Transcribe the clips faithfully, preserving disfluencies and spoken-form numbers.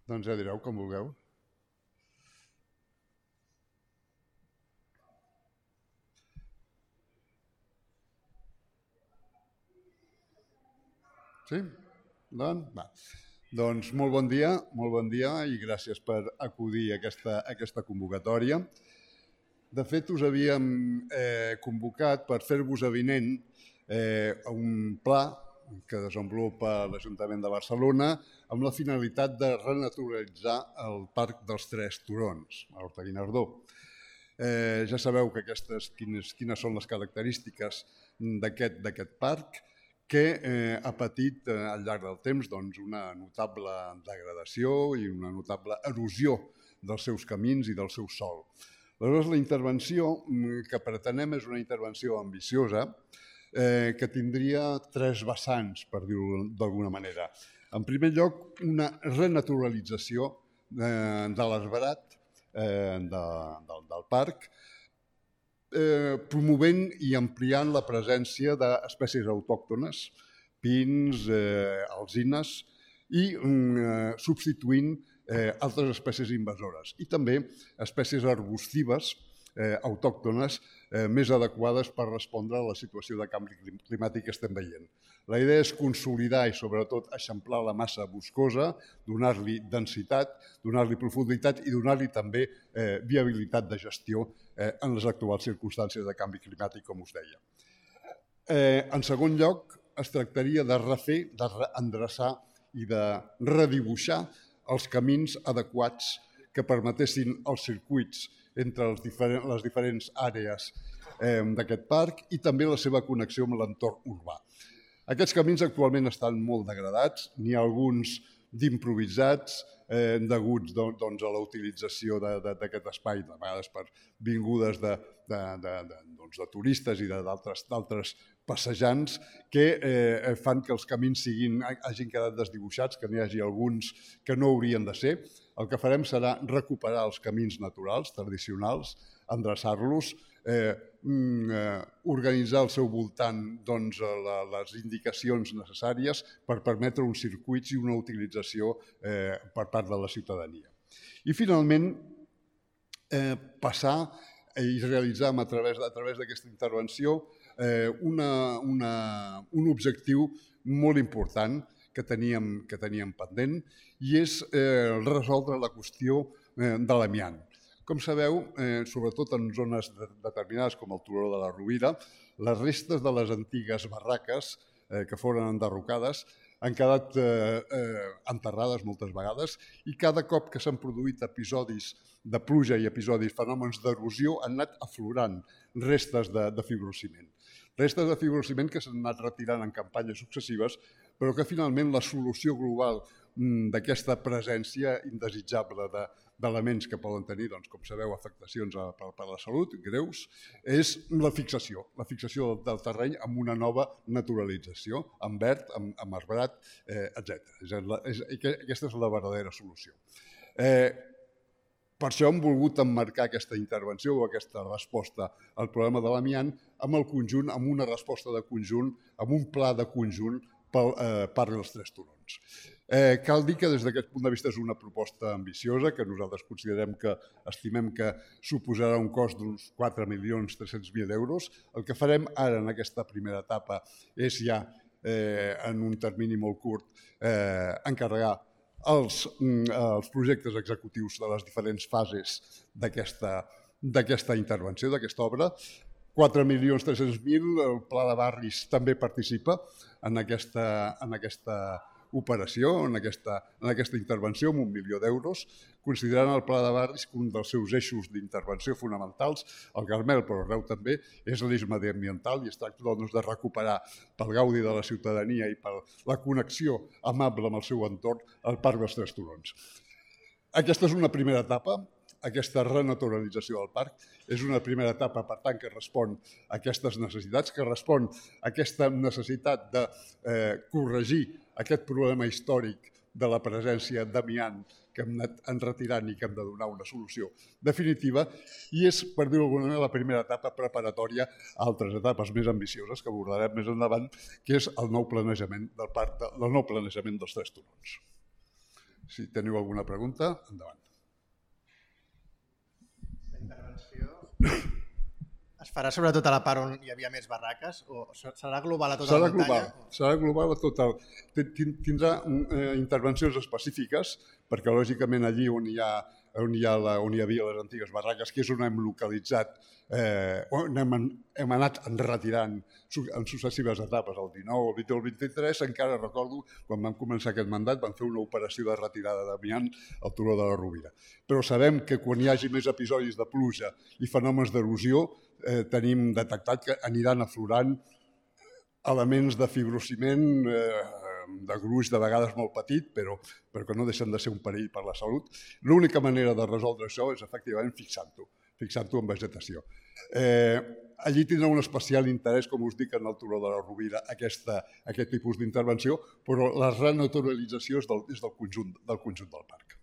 Doncs ja direu, com vulgueu. Sí? Doncs, va. Doncs molt bon dia, molt bon dia i gràcies per acudir a aquesta, a aquesta convocatòria. De fet, us havíem eh, convocat per fer-vos avinent eh, un pla que desenvolupa l'Ajuntament de Barcelona amb la finalitat de renaturalitzar el Parc dels Tres Turons, a Horta-Guinardó. Eh, ja sabeu que aquestes, quines, quines són les característiques d'aquest parc, que eh, ha patit eh, al llarg del temps doncs, una notable degradació i una notable erosió dels seus camins i del seu sòl. Aleshores, la intervenció que pretenem és una intervenció ambiciosa eh, que tindria tres vessants, per dir-ho d'alguna manera. En primer lloc, una renaturalització eh, de l'esverat eh, de, de, del parc, Eh, promovent i ampliant la presència d'espècies autòctones, pins, eh, alzines, i eh, substituint eh, altres espècies invasores. I també espècies arbustives eh, autòctones eh, més adequades per respondre a la situació de canvi climàtic que estem veient. La idea és consolidar i, sobretot, eixamplar la massa boscosa, donar-li densitat, donar-li profunditat i donar-li també eh, viabilitat de gestió eh, en les actuals circumstàncies de canvi climàtic, com us deia. Eh, en segon lloc, es tractaria de refer, de reendreçar i de redibuixar els camins adequats que permetessin els circuits entre els diferents, les diferents àrees eh, d'aquest parc i també la seva connexió amb l'entorn urbà. Aquests camins actualment estan molt degradats, n'hi ha alguns d'improvisats, eh, deguts doncs, a la utilització d'aquest espai, de vegades per vingudes de, de, de, de, doncs, de turistes i d'altres passejants, que eh, fan que els camins siguin, hagin quedat desdibuixats, que n'hi hagi alguns que no haurien de ser. El que farem serà recuperar els camins naturals, tradicionals, endreçar-los, eh, eh, organitzar al seu voltant doncs, la, les indicacions necessàries per permetre uns circuits i una utilització eh, per part de la ciutadania. I finalment, eh, passar i realitzar a través, a través d'aquesta intervenció eh, una, una, un objectiu molt important que teníem, que teníem pendent i és eh, resoldre la qüestió eh, de l'amiant. Com sabeu, eh, sobretot en zones determinades com el Turó de la Rovira, les restes de les antigues barraques eh, que foren enderrocades han quedat eh, eh, enterrades moltes vegades i cada cop que s'han produït episodis de pluja i episodis, fenòmens d'erosió, han anat aflorant restes de, de fibrociment. Restes de fibrociment que s'han anat retirant en campanyes successives, però que finalment la solució global d'aquesta presència indesitjable d'elements que poden tenir, doncs, com sabeu, afectacions per a la salut greus, és la fixació, la fixació del terreny amb una nova naturalització, amb verd, amb, amb arbrat, eh, etcètera. Aquesta és la verdadera solució. Eh, per això hem volgut emmarcar aquesta intervenció o aquesta resposta al problema de l'amiant amb el conjunt, amb una resposta de conjunt, amb un pla de conjunt pel eh, Parc dels Tres Turons. Eh, cal dir que des d'aquest punt de vista és una proposta ambiciosa que nosaltres considerem que estimem que suposarà un cost d'uns quatre milions tres-cents mil euros. El que farem ara en aquesta primera etapa és ja eh, en un termini molt curt eh, encarregar els, els projectes executius de les diferents fases d'aquesta intervenció, d'aquesta obra. quatre milions tres-cents mil, el Pla de Barris també participa en aquesta, en aquesta operació, en aquesta, en aquesta intervenció, amb un milió d'euros, considerant el Pla de Barris com un dels seus eixos d'intervenció fonamentals. El Carmel, però arreu també, és l'eix mediambiental i es tracta doncs, de recuperar pel gaudi de la ciutadania i per la connexió amable amb el seu entorn el Parc dels Tres Turons. Aquesta és una primera etapa. Aquesta renaturalització del parc és una primera etapa, per tant, que respon a aquestes necessitats, que respon a aquesta necessitat de eh, corregir aquest problema històric de la presència d'amiant que hem anat enretirant i que hem de donar una solució definitiva, i és, per dir-ho d'alguna manera, la primera etapa preparatòria a altres etapes més ambicioses que abordarem més endavant, que és el nou planejament del parc, el nou planejament dels tres turons. Si teniu alguna pregunta, endavant. La intervenció es farà sobretot a la part on hi havia més barraques o serà global a tota la muntanya? Serà global a tot el... Tindrà intervencions específiques perquè, lògicament, allí on hi ha on hi, ha la, on hi havia les antigues barraques, que és on hem localitzat, eh, on hem, hem anat retirant en successives etapes, el dinou, el vint o el vint-i-tres, encara recordo, quan vam començar aquest mandat, vam fer una operació de retirada d'amiant al turó de la Rovira. Però sabem que quan hi hagi més episodis de pluja i fenòmens d'erosió, eh, tenim detectat que aniran aflorant elements de fibrociment, eh, de gruix de vegades molt petit, però, però que no deixen de ser un perill per la salut. L'única manera de resoldre això és efectivament fixant-ho, fixant-ho en vegetació. Eh, allí tindrà un especial interès, com us dic, en el turó de la Rovira, aquesta, aquest tipus d'intervenció, però la renaturalització és del, és del, conjunt, del conjunt del parc.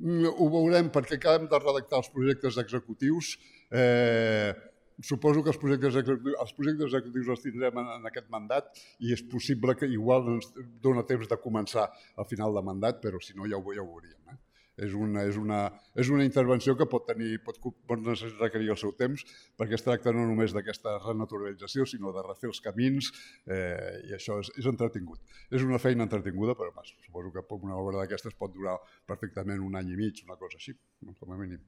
Ho veurem perquè acabem de redactar els projectes executius. Eh, suposo que els projectes executius, els projectes executius els tindrem en, en aquest mandat i és possible que igual ens dona temps de començar al final de mandat, però si no ja ho, ja ho veuríem. Eh? És, una, és, una, és una intervenció que pot, tenir, pot, pot requerir el seu temps perquè es tracta no només d'aquesta renaturalització, sinó de refer els camins eh, i això és, és entretingut. És una feina entretinguda, però mas, suposo que una obra d'aquestes pot durar perfectament un any i mig, una cosa així, com a mínim.